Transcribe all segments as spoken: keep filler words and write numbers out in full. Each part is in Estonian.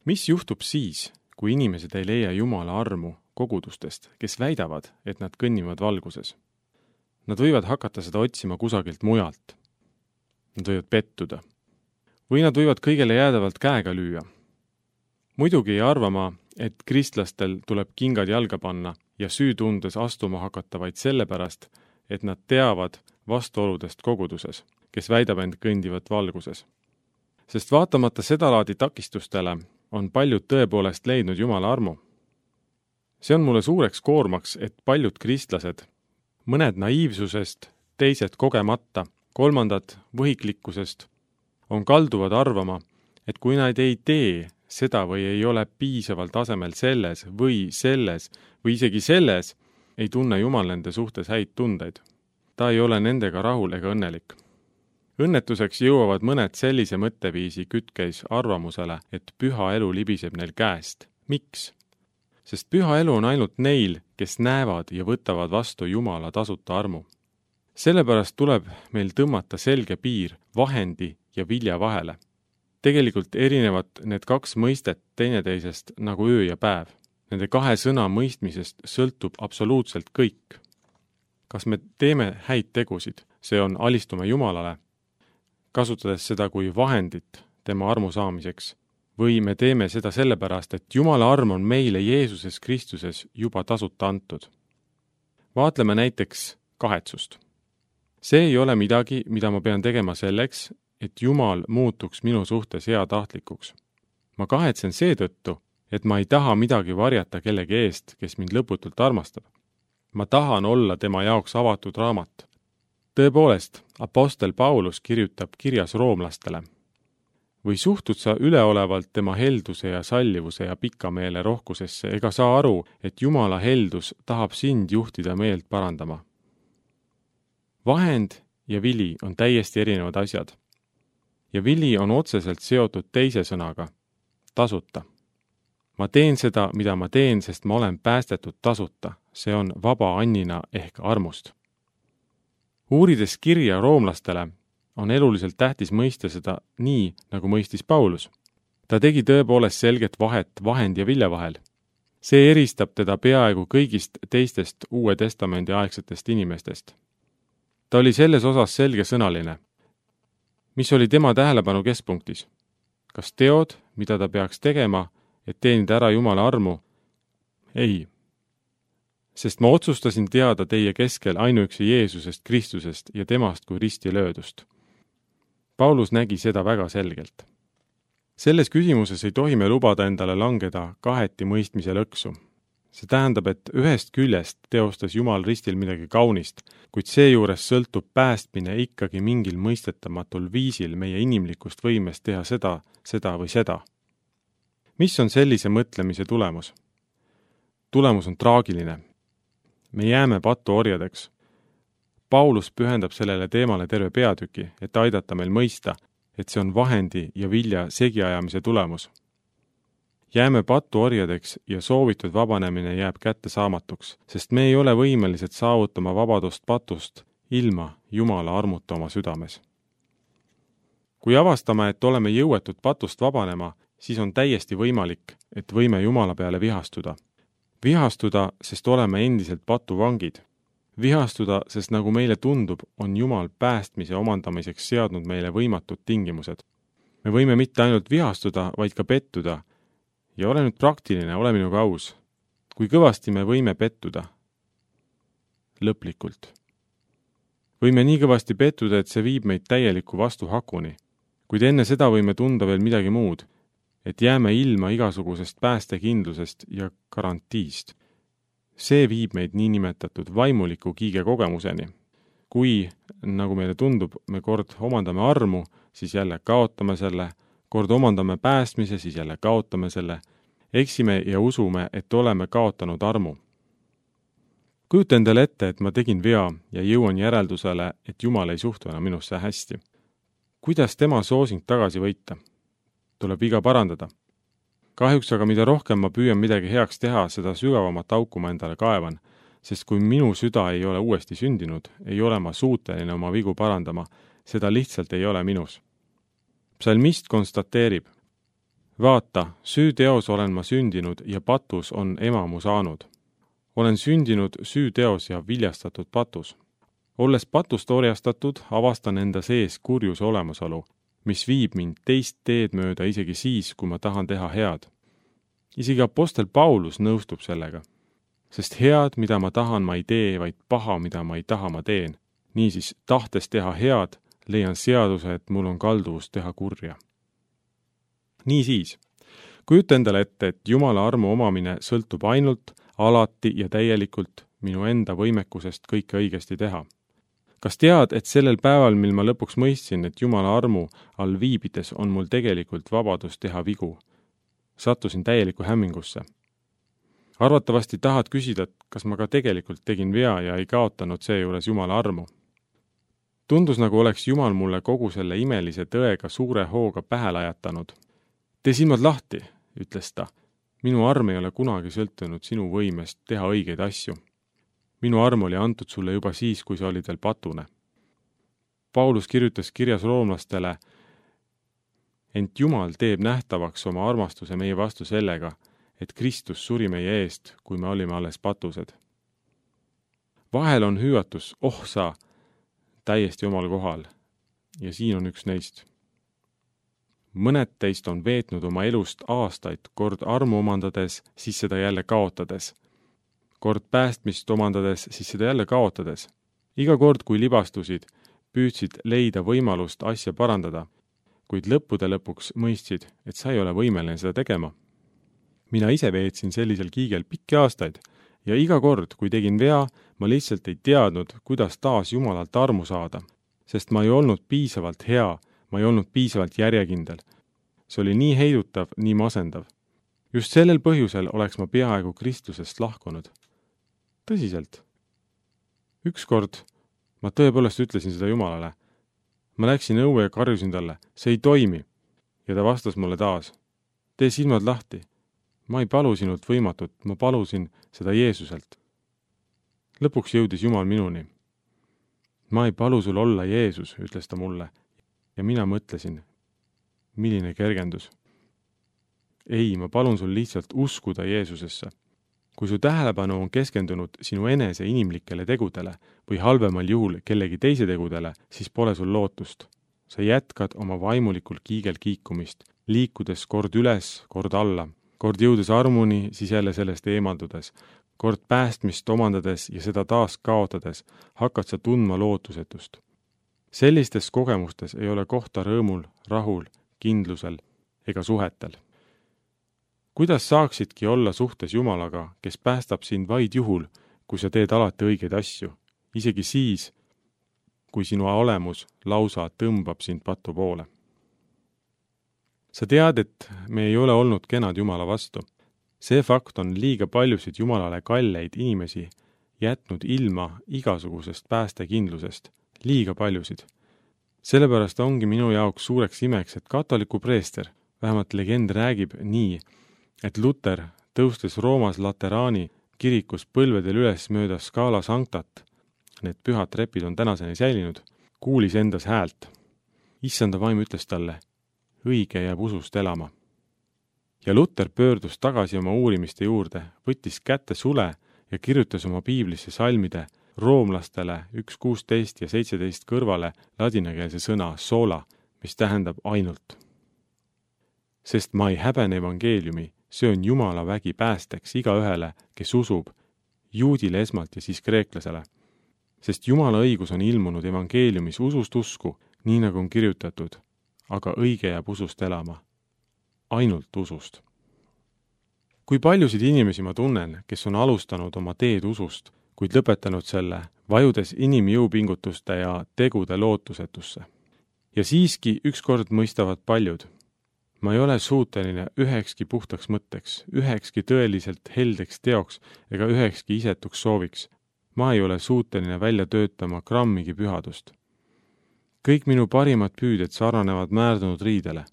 Mis juhtub siis, kui inimesed ei leia Jumala armu kogudustest, kes väidavad, et nad kõnnivad valguses? Nad võivad hakata seda otsima kusagilt mujalt. Nad võivad pettuda. Või nad võivad kõigele jäädavalt käega lüüa. Muidugi ei arva ma, et kristlastel tuleb kingad jalga panna ja süütundes astuma hakata vaid sellepärast, et nad teavad vastuoludest koguduses, kes väidab end kõndivat valguses. Sest vaatamata sedalaadi takistustele on paljud tõepoolest leidnud Jumala armu. See on mulle suureks koormaks, et paljud kristlased, mõned naiivsusest, teised kogemata, kolmandad võhiklikkusest, on kalduvad arvama, et kui nad ei tee seda või ei ole piisaval tasemel selles või selles või isegi selles, ei tunne Jumal nende suhtes häid tundeid. Ta ei ole nendega rahul ega õnnelik. Õnnetuseks jõuavad mõned sellise mõtteviisi kütkeis arvamusele, et püha elu libiseb neil käest. Miks? Sest püha elu on ainult neil, kes näevad ja võtavad vastu Jumala tasuta armu. Sellepärast tuleb meil tõmmata selge piir vahendi ja vilja vahele. Tegelikult erinevad need kaks mõistet teineteisest nagu öö ja päev. Nende kahe sõna mõistmisest sõltub absoluutselt kõik. Kas me teeme häid tegusid, see on alistume Jumalale, kasutades seda kui vahendit tema armu saamiseks, või me teeme seda sellepärast, et Jumala arm on meile Jeesuses Kristuses juba tasuta antud. Vaatleme näiteks kahetsust. See ei ole midagi, mida ma pean tegema selleks, et Jumal muutuks minu suhtes heatahtlikuks. Ma kahetsen seetõttu, et ma ei taha midagi varjata kellegi eest, kes mind lõputult armastab. Ma tahan olla tema jaoks avatud raamat. Tõepoolest, apostel Paulus kirjutab kirjas roomlastele. Või suhtud sa üleolevalt tema helduse ja sallivuse ja pikameele rohkusesse, ega saa aru, et Jumala heldus tahab sind juhtida meelt parandama. Vahend ja vili on täiesti erinevad asjad. Ja vili on otseselt seotud teise sõnaga, tasuta. Ma teen seda, mida ma teen, sest ma olen päästetud tasuta. See on vaba annina ehk armust. Uurides kirja roomlastele on eluliselt tähtis mõista seda nii, nagu mõistis Paulus. Ta tegi tõepoolest selget vahet vahend ja vilja vahel. See eristab teda peaaegu kõigist teistest Uue Testamendi aegsetest inimestest. Ta oli selles osas selgesõnaline. Mis oli tema tähelepanu keskpunktis? Kas teod, mida ta peaks tegema, et teenida ära Jumala armu? Ei. Sest ma otsustasin teada teie keskel ainuüksi Jeesusest Kristusest ja temast kui risti löödust. Paulus nägi seda väga selgelt. Selles küsimuses ei tohi me lubada endale langeda kaheti mõistmise lõksu. See tähendab, et ühest küljest teostas Jumal ristil midagi kaunist, kuid seejuures sõltub päästmine ikkagi mingil mõistetamatul viisil meie inimlikust võimest teha seda, seda või seda. Mis on sellise mõtlemise tulemus? Tulemus on traagiline. Me jääme patuorjadeks. Paulus pühendab sellele teemale terve peatüki, et aidata meil mõista, et see on vahendi ja vilja segiajamise tulemus. Jääme patuorjadeks ja soovitud vabanemine jääb kätte saamatuks, sest me ei ole võimelised saavutama vabadust patust ilma Jumala armuta oma südames. Kui avastame, et oleme jõuetud patust vabanema, siis on täiesti võimalik, et võime Jumala peale vihastuda. Vihastuda, sest oleme endiselt patuvangid. Vihastuda, sest nagu meile tundub, on Jumal päästmise omandamiseks seadnud meile võimatud tingimused. Me võime mitte ainult vihastuda, vaid ka pettuda. Ja ole nüüd praktiline, ole minuga aus. Kui kõvasti me võime pettuda? Lõplikult. Võime nii kõvasti pettuda, et see viib meid täieliku vastuhakuni. Kuid enne seda võime tunda veel midagi muud, et jääme ilma igasugusest päästekindlusest ja garantiist. See viib meid niinimetatud vaimuliku kiige kogemuseni. Kui, nagu meile tundub, me kord omandame armu, siis jälle kaotame selle, kord omandame päästmise, siis jälle kaotame selle, eksime ja usume, et oleme kaotanud armu. Kujuta endale ette, et ma tegin vea ja jõuan järeldusele, et Jumal ei suhtu enam minusse hästi. Kuidas tema soosing tagasi võita? Tuleb viga parandada. Kahjuks aga mida rohkem ma püüan midagi heaks teha, seda sügavamat auku ma endale kaevan, sest kui minu süda ei ole uuesti sündinud, ei ole ma suuteline oma vigu parandama, seda lihtsalt ei ole minus. Psalmist konstateerib, vaata, süüteos olen ma sündinud ja patus on ema mu saanud. Olen sündinud süüteos ja viljastatud patus. Olles patust orjastatud, avastan enda sees kurjuse olemasolu, mis viib mind teist teed mööda isegi siis, kui ma tahan teha head. Isegi apostel Paulus nõustub sellega, sest head, mida ma tahan, ma ei tee, vaid paha, mida ma ei taha, ma teen. Niisiis, tahtes teha head, leian seaduse, et mul on kalduvus teha kurja. Niisiis, kujuta endale ette, et Jumala armu omamine sõltub ainult, alati ja täielikult minu enda võimekusest kõike õigesti teha. Kas tead, et sellel päeval, mil ma lõpuks mõistsin, et Jumala armu all viibides on mul tegelikult vabadus teha vigu? Sattusin täieliku hämmingusse. Arvatavasti tahad küsida, kas ma ka tegelikult tegin vea ja ei kaotanud seejuures Jumala armu. Tundus, nagu oleks Jumal mulle kogu selle imelise tõega suure hooga pähe lajatanud. Tee silmad lahti, ütles ta. Minu arm ei ole kunagi sõltunud sinu võimest teha õigeid asju. Minu arm oli antud sulle juba siis, kui sa olid veel patune. Paulus kirjutas kirjas roomlastele, ent Jumal teeb nähtavaks oma armastuse meie vastu sellega, et Kristus suri meie eest, kui me olime alles patused. Vahel on hüüatus, oh sa, täiesti omal kohal, ja siin on üks neist. Mõned teist on veetnud oma elust aastaid, kord armu omandades, siis seda jälle kaotades. Kord päästmist omandades, siis seda jälle kaotades. Iga kord, kui libastusid, püüdsid leida võimalust asja parandada, kuid lõppude lõpuks mõistsid, et sa ei ole võimeline seda tegema. Mina ise veetsin sellisel kiigel pikki aastaid ja iga kord, kui tegin vea, ma lihtsalt ei teadnud, kuidas taas Jumalalt armu saada, sest ma ei olnud piisavalt hea, ma ei olnud piisavalt järjekindel. See oli nii heidutav, nii masendav. Just sellel põhjusel oleks ma peaaegu Kristusest lahkunud. Tõsiselt. Ükskord ma tõepoolest ütlesin seda Jumalale. Ma läksin õue ja karjusin talle, see ei toimi. Ja ta vastas mulle taas, tee silmad lahti. Ma ei palu sinult võimatut, ma palusin seda Jeesuselt. Lõpuks jõudis Jumal minuni. Ma ei palu sul olla Jeesus, ütles ta mulle. Ja mina mõtlesin, milline kergendus. Ei, ma palun sul lihtsalt uskuda Jeesusesse. Kui su tähelepanu on keskendunud sinu enese inimlikele tegudele või halvemal juhul kellegi teise tegudele, siis pole sul lootust. Sa jätkad oma vaimulikul kiigel kiikumist, liikudes kord üles, kord alla, kord jõudes armuni, siis jälle sellest eemaldudes, kord päästmist omandades ja seda taas kaotades, hakkad sa tundma lootusetust. Sellistes kogemustes ei ole kohta rõõmul, rahul, kindlusel ega suhetel. Kuidas saaksidki olla suhtes Jumalaga, kes päästab sind vaid juhul, kui sa teed alati õigeid asju, isegi siis, kui sinu olemus lausa tõmbab sind patu poole? Sa tead, et me ei ole olnud kenad Jumala vastu. See fakt on liiga paljusid Jumalale kalleid inimesi jätnud ilma igasugusest päästekindlusest. Liiga paljusid. Sellepärast ongi minu jaoks suureks imeks, et katoliku preester, vähemalt legend räägib nii, et Luter tõustes Roomas Lateraani kirikus põlvedel üles mööda Scala Sanctat, need pühad trepid on tänaseni säilinud, kuulis endas häält. Issanda vaim ütles talle, õige jääb usust elama. Ja Luter pöördus tagasi oma uurimiste juurde, võttis kätte sule ja kirjutas oma piiblisse salmide roomlastele üks kuusteist ja seitseteist kõrvale ladinakeelse sõna sola, mis tähendab ainult. Sest ma ei häbene evangeeliumi, see on Jumala vägi päästeks igaühele, kes usub, juudile esmalt ja siis kreeklasele. Sest Jumala õigus on ilmunud evangeeliumis usust usku, nii nagu on kirjutatud, aga õige jääb usust elama. Ainult usust. Kui paljusid inimesi ma tunnen, kes on alustanud oma teed usust, kuid lõpetanud selle, vajudes inimjõupingutuste ja tegude lootusetusse. Ja siiski ükskord mõistavad paljud. Ma ei ole suuteline ühekski puhtaks mõtteks, ühekski tõeliselt heldeks teoks ega ühekski isetuks sooviks. Ma ei ole suuteline välja töötama grammigi pühadust. Kõik minu parimad püüded sarnanevad määrdunud riidele.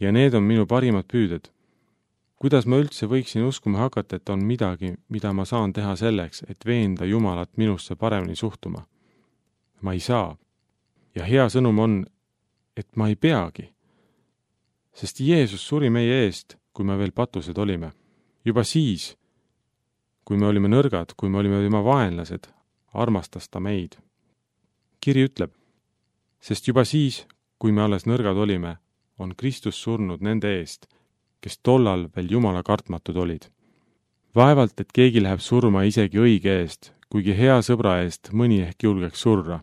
Ja need on minu parimad püüded. Kuidas ma üldse võiksin uskuma hakata, et on midagi, mida ma saan teha selleks, et veenda Jumalat minusse paremini suhtuma? Ma ei saa. Ja hea sõnum on, et ma ei peagi. sest Jeesus suri meie eest, kui me veel patused olime. Juba siis, kui me olime nõrgad, kui me olime tema vaenlased, armastas ta meid. Kiri ütleb, sest juba siis, kui me alles nõrgad olime, on Kristus surnud nende eest, kes tollal veel Jumala kartmatud olid. Vaevalt, et keegi läheb surma isegi õige eest, kuigi hea sõbra eest mõni ehk julgeks surra.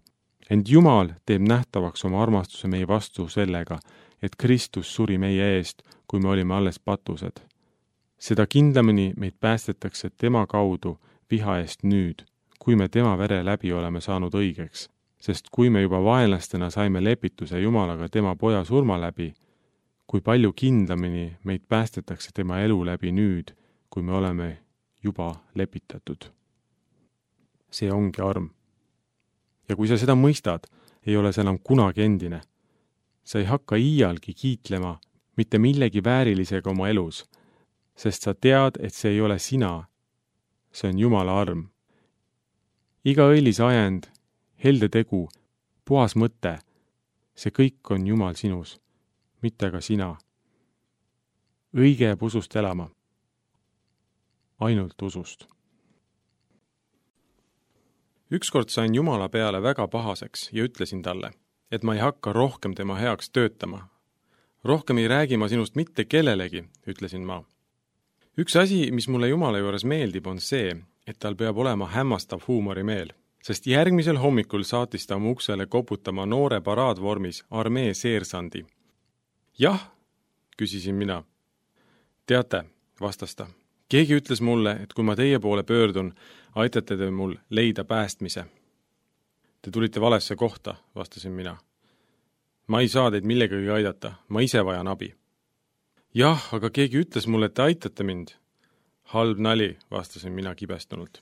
Ent Jumal teeb nähtavaks oma armastuse meie vastu sellega, et Kristus suri meie eest, kui me olime alles patused. Seda kindlamini meid päästetakse tema kaudu viha eest nüüd, kui me tema vere läbi oleme saanud õigeks, sest kui me juba vaenlastena saime lepituse Jumalaga tema poja surma läbi, kui palju kindlamini meid päästetakse tema elu läbi nüüd, kui me oleme juba lepitatud. See ongi arm. Ja kui sa seda mõistad, ei ole see enam kunagi endine. Sa ei hakka iialgi kiitlema mitte millegi väärilisega oma elus, sest sa tead, et see ei ole sina. See on Jumala arm. Iga õilis ajend, helde tegu, puhas mõte, see kõik on Jumal sinus, mitte ka sina. Õige jääb usust elama. Ainult usust. Ükskord sain Jumala peale väga pahaseks ja ütlesin talle, et ma ei hakka rohkem tema heaks töötama. Rohkem ei räägi ma sinust mitte kellelegi, ütlesin ma. Üks asi, mis mulle Jumala juures meeldib, on see, et tal peab olema hämmastav huumorimeel, sest järgmisel hommikul saatis ta mu uksele koputama noore paraadvormis armee seersandi. Jah, küsisin mina. Teate, vastas ta. Keegi ütles mulle, et kui ma teie poole pöördun, aitate te mul leida päästmise. Te tulite valesse kohta, vastasin mina. Ma ei saa teid millegagi aidata, ma ise vajan abi. Jah, aga keegi ütles mulle, et te aitate mind. Halb nali, vastasin mina kibestunult.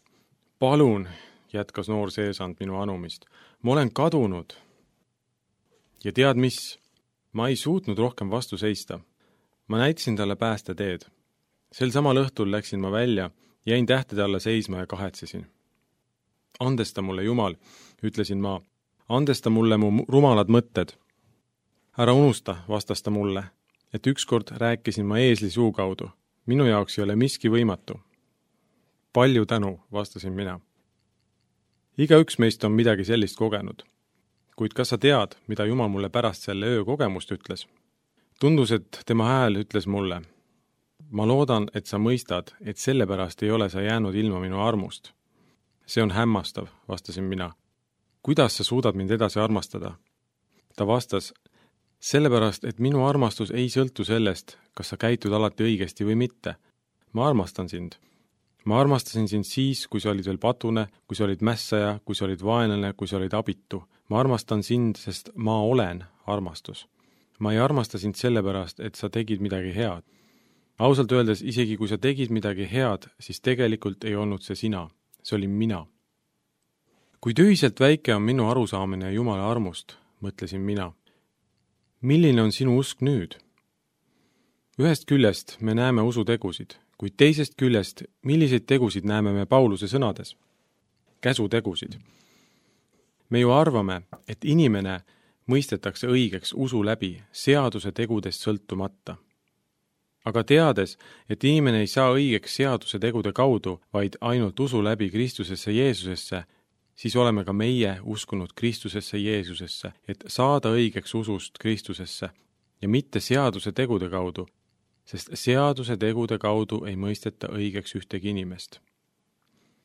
Palun, jätkas noor seesand minu anumist. Ma olen kadunud. Ja tead mis? Ma ei suutnud rohkem vastu seista. Ma näitasin talle päästeteed. Sel samal õhtul läksin ma välja, jäin tähtede alla seisma ja kahetsesin. Andesta mulle, Jumal, ütlesin ma. Andesta mulle mu rumalad mõtted. Ära unusta, vastas ta mulle, et ükskord rääkisin ma eesli suu kaudu. Minu jaoks ei ole miski võimatu. Palju tänu, vastasin mina. Igaüks meist on midagi sellist kogenud. Kuid kas sa tead, mida Jumal mulle pärast selle öö kogemust ütles? Tundus, et tema hääl ütles mulle. Ma loodan, et sa mõistad, et sellepärast ei ole sa jäänud ilma minu armust. See on hämmastav, vastasin mina. Kuidas sa suudad mind edasi armastada? Ta vastas, sellepärast, et minu armastus ei sõltu sellest, kas sa käitud alati õigesti või mitte. Ma armastan sind. Ma armastasin sind siis, kui sa olid veel patune, kui sa olid mässaja, kui sa olid vaenlane, kui sa olid abitu. Ma armastan sind, sest ma olen armastus. Ma ei armasta sind sellepärast, et sa tegid midagi head. Ausalt öeldes, isegi kui sa tegid midagi head, siis tegelikult ei olnud see sina. See oli mina. Kui tühiselt väike on minu arusaamine Jumala armust, mõtlesin mina. Milline on sinu usk nüüd? Ühest küljest me näeme usutegusid, kuid teisest küljest, milliseid tegusid näeme me Pauluse sõnades? Käsutegusid. Me ju arvame, et inimene mõistetakse õigeks usu läbi seaduse tegudest sõltumata. Aga teades, et inimene ei saa õigeks seaduse tegude kaudu, vaid ainult usu läbi Kristusesse Jeesusesse, siis oleme ka meie uskunud Kristusesse Jeesusesse, et saada õigeks usust Kristusesse ja mitte seaduse tegude kaudu, sest seaduse tegude kaudu ei mõisteta õigeks ühtegi inimest.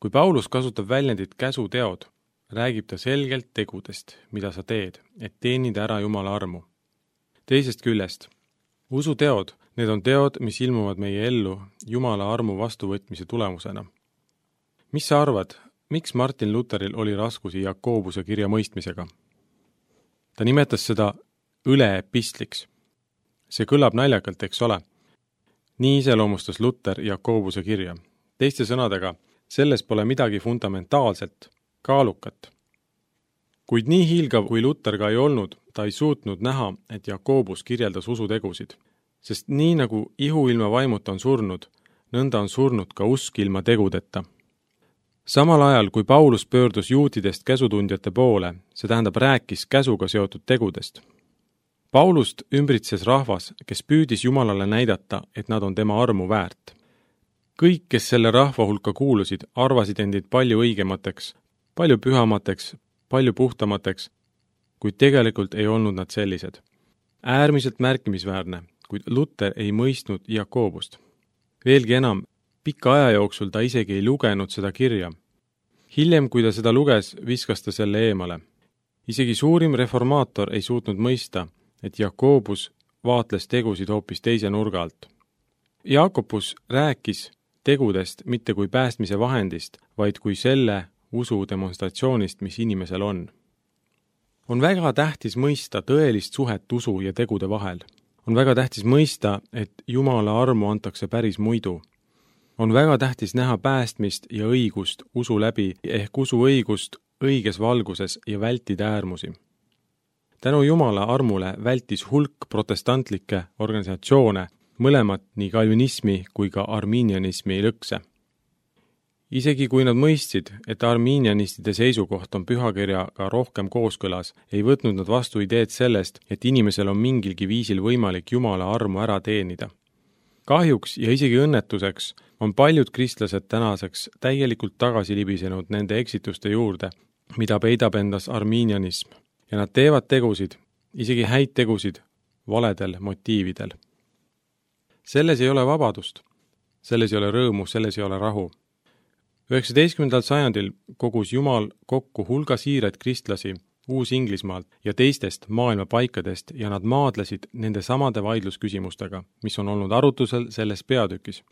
Kui Paulus kasutab väljendit käsuteod, räägib ta selgelt tegudest, mida sa teed, et teenida ära Jumala armu. Teisest küljest, usuteod, need on teod, mis ilmuvad meie ellu Jumala armu vastuvõtmise tulemusena. Mis sa arvad, miks Martin Lutheril oli raskusi Jakobuse kirja mõistmisega? Ta nimetas seda õleepistliks. See kõlab naljakalt, eks ole. Nii iseloomustas Luther Jakobuse kirja. Teiste sõnadega, selles pole midagi fundamentaalselt, kaalukat. Kuid nii hiilgav kui Luther ka ei olnud, ta ei suutnud näha, et Jakobus kirjeldas usutegusid. Sest nii nagu ihu ilma vaimuta on surnud, nõnda on surnud ka usk ilma tegudeta. Samal ajal, kui Paulus pöördus juutidest käsutundjate poole, see tähendab rääkis käsuga seotud tegudest. Paulust ümbritses rahvas, kes püüdis Jumalale näidata, et nad on tema armu väärt. Kõik, kes selle rahva hulka kuulusid, arvasid endid palju õigemateks, palju pühamateks, palju puhtamateks, kuid tegelikult ei olnud nad sellised. Äärmiselt märkimisväärne, kuid Luter ei mõistnud Jakobust. Veelgi enam, pika aja jooksul ta isegi ei lugenud seda kirja. Hiljem, kui ta seda luges, viskas ta selle eemale. Isegi suurim reformaator ei suutnud mõista, et Jakobus vaatles tegusid hoopis teise nurga alt. Jakobus rääkis tegudest mitte kui päästmise vahendist, vaid kui selle usu demonstratsioonist, mis inimesel on. On väga tähtis mõista tõelist suhet usu ja tegude vahel. On väga tähtis mõista, et Jumala armu antakse päris muidu. On väga tähtis näha päästmist ja õigust usu läbi ehk usu õigust õiges valguses ja vältida äärmusi. Tänu Jumala armule vältis hulk protestantlikke organisatsioone, mõlemad nii kalvinismi kui ka arminianismi lõkse. Isegi kui nad mõistsid, et arminianistide seisukoht on pühakirjaga rohkem kooskõlas, ei võtnud nad vastu ideed sellest, et inimesel on mingilgi viisil võimalik Jumala armu ära teenida. Kahjuks ja isegi õnnetuseks on paljud kristlased tänaseks täielikult tagasi libisenud nende eksituste juurde, mida peidab endas arminianism, ja nad teevad tegusid, isegi häid tegusid, valedel motiividel. Selles ei ole vabadust, selles ei ole rõõmu, selles ei ole rahu. üheksateistkümnendal sajandil kogus Jumal kokku hulga siired kristlasi Uus-Inglismaalt ja teistest maailma paikadest ja nad maadlesid nende samade vaidlusküsimustega, mis on olnud arutusel selles peatükis.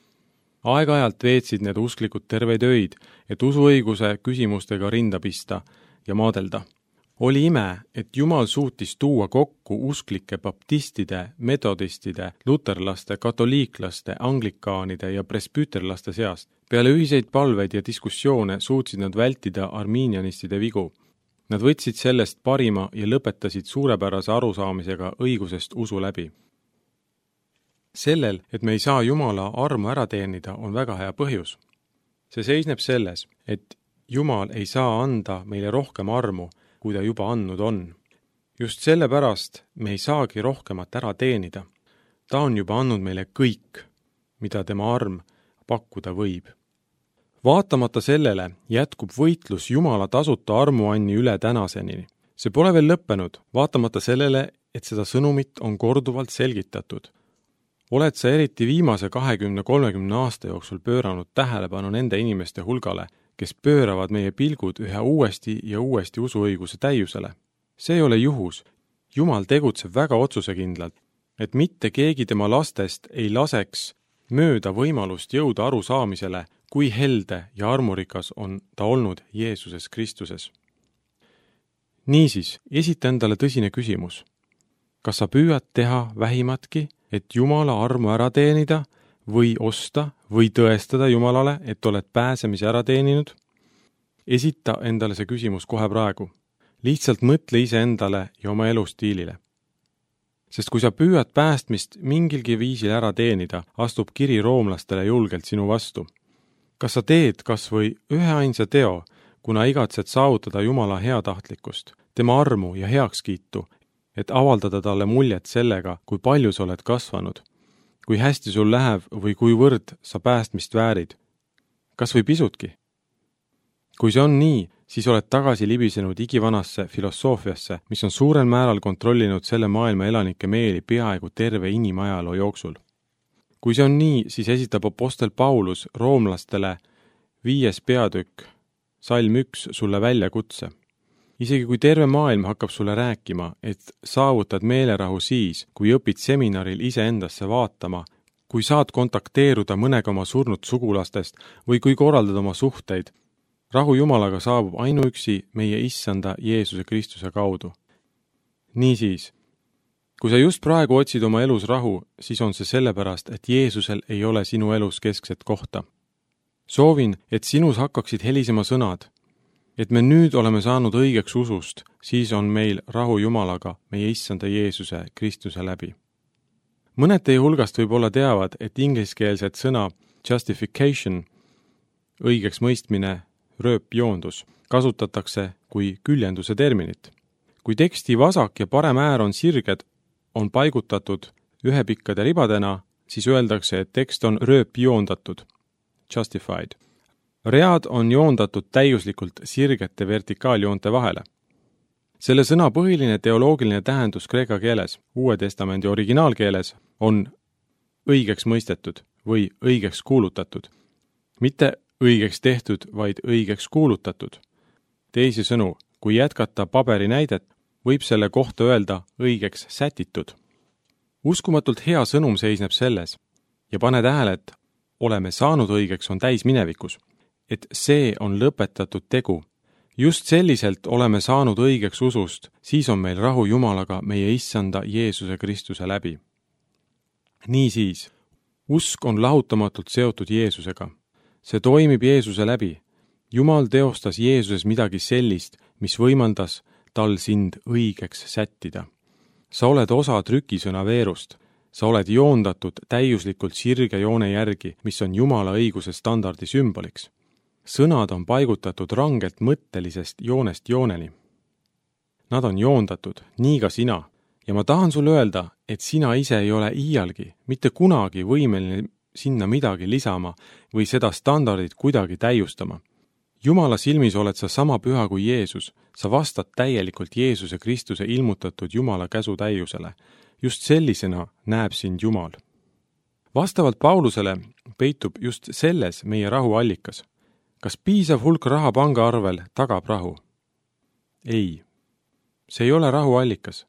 Aeg-ajalt veetsid need usklikud terveid öid, et usuõiguse küsimustega rinda pista ja maadelda. Oli ime, et Jumal suutis tuua kokku usklike baptistide, metodistide, luterlaste, katoliiklaste, anglikaanide ja presbüterlaste seast. Peale ühiseid palveid ja diskussioone suutsid nad vältida arminianistide vigu. Nad võtsid sellest parima ja lõpetasid suurepärase arusaamisega õigusest usu läbi. Sellel, et me ei saa Jumala armu ära teenida, on väga hea põhjus. See seisneb selles, et Jumal ei saa anda meile rohkem armu, kui ta juba andnud on. Just sellepärast me ei saagi rohkemat ära teenida. Ta on juba andnud meile kõik, mida tema arm pakkuda võib. Vaatamata sellele jätkub võitlus Jumala tasuta armuanni üle tänaseni. See pole veel lõppenud, vaatamata sellele, et seda sõnumit on korduvalt selgitatud. Oled sa eriti viimase kahekümne kolmekümne aasta jooksul pööranud tähelepanu nende inimeste hulgale, kes pööravad meie pilgud ühe uuesti ja uuesti usuõiguse täiusele. See ei ole juhus. Jumal tegutseb väga otsusekindlalt, et mitte keegi tema lastest ei laseks mööda võimalust jõuda arusaamisele, kui helde ja armurikas on ta olnud Jeesuses Kristuses. Niisiis, esita endale tõsine küsimus. Kas sa püüad teha vähimatki, et Jumala armu ära teenida, või osta või tõestada Jumalale, et oled pääsemise ära teeninud? Esita endale see küsimus kohe praegu. Lihtsalt mõtle ise endale ja oma elustiilile. Sest kui sa püüad päästmist mingilgi viisil ära teenida, astub kiri roomlastele julgelt sinu vastu. Kas sa teed kas või ühe ainsa teo, kuna igatsed saavutada Jumala heatahtlikkust, tema armu ja heakskiitu, et avaldada talle muljet sellega, kui palju sa oled kasvanud, kui hästi sul läheb või kuivõrd sa päästmist väärid? Kas või pisutki? Kui see on nii, siis oled tagasi libisenud igivanasse filosoofiasse, mis on suurel määral kontrollinud selle maailma elanike meeli peaaegu terve inimajaloo jooksul. Kui see on nii, siis esitab apostel Paulus roomlastele viies peatükk, salm üks sulle väljakutse. Isegi kui terve maailm hakkab sulle rääkima, et saavutad meelerahu siis, kui õpid seminaril iseendasse vaatama, kui saad kontakteeruda mõnega oma surnud sugulastest või kui korraldad oma suhteid, rahu Jumalaga saabub ainuüksi meie issanda Jeesuse Kristuse kaudu. Niisiis, kui sa just praegu otsid oma elus rahu, siis on see sellepärast, et Jeesusel ei ole sinu elus keskset kohta. Soovin, et sinus hakkaksid helisema sõnad, et me nüüd oleme saanud õigeks usust, siis on meil rahu Jumalaga meie issanda Jeesuse Kristuse läbi. Mõned teie hulgast võib-olla teavad, et ingliskeelset sõna justification, õigeks mõistmine, rööpjoondus, kasutatakse kui küljenduse terminit. Kui teksti vasak ja parem äär on sirged, on paigutatud ühepikkade ribadena, siis öeldakse, et tekst on rööpjoondatud, justified. Read on joondatud täiuslikult sirgete vertikaaljoonte vahele. Selle sõna põhiline teoloogiline tähendus kreeka keeles, Uue Testamendi originaalkeeles, on õigeks mõistetud või õigeks kuulutatud. Mitte õigeks tehtud, vaid õigeks kuulutatud. Teisisõnu, kui jätkata paberi näidet, võib selle kohta öelda õigeks sätitud. Uskumatult hea sõnum seisneb selles ja pane tähele, et oleme saanud õigeks on täis minevikus, et see on lõpetatud tegu. Just selliselt oleme saanud õigeks usust, siis on meil rahu Jumalaga meie issanda Jeesuse Kristuse läbi. Niisiis, usk on lahutamatult seotud Jeesusega. See toimib Jeesuse läbi. Jumal teostas Jeesuses midagi sellist, mis võimaldas tal sind õigeks sättida. Sa oled osa trükisõna veerust. Sa oled joondatud täiuslikult sirge joone järgi, mis on Jumala õiguse standardi sümboliks. Sõnad on paigutatud rangelt mõttelisest joonest jooneni. Nad on joondatud, nii ka sina. Ja ma tahan sulle öelda, et sina ise ei ole iialgi, mitte kunagi võimeline sinna midagi lisama või seda standardit kuidagi täiustama. Jumala silmis oled sa sama püha kui Jeesus. Sa vastad täielikult Jeesuse Kristuse ilmutatud Jumala käsu täiusele. Just sellisena näeb sind Jumal. Vastavalt Paulusele peitub just selles meie rahu allikas. Kas piisav hulk raha pangaarvel tagab rahu? Ei. See ei ole rahu allikas.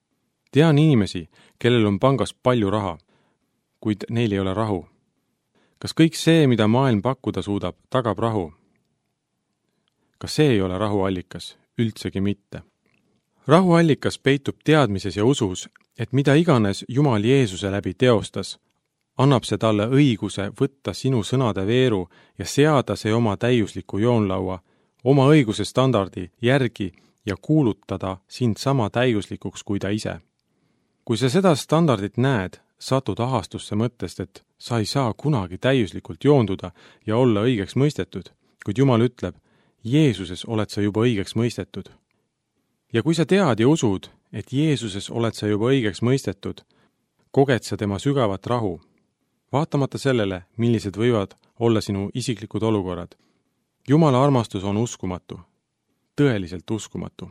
Tean inimesi, kellel on pangas palju raha, kuid neil ei ole rahu. Kas kõik see, mida maailm pakkuda suudab, tagab rahu? Kas see ei ole rahu allikas? Üldsegi mitte. Rahu allikas peitub teadmises ja usus, et mida iganes Jumal Jeesuse läbi teostas, annab see talle õiguse võtta sinu sõnade veeru ja seada see oma täiusliku joonlaua, oma õiguse standardi järgi ja kuulutada sind sama täiuslikuks kui ta ise. Kui sa seda standardit näed, satud ahastusse mõttest, et sa ei saa kunagi täiuslikult joonduda ja olla õigeks mõistetud, kuid Jumal ütleb, Jeesuses oled sa juba õigeks mõistetud. Ja kui sa tead ja usud, et Jeesuses oled sa juba õigeks mõistetud, koged sa tema sügavat rahu, vaatamata sellele, millised võivad olla sinu isiklikud olukorrad. Jumala armastus on uskumatu, tõeliselt uskumatu.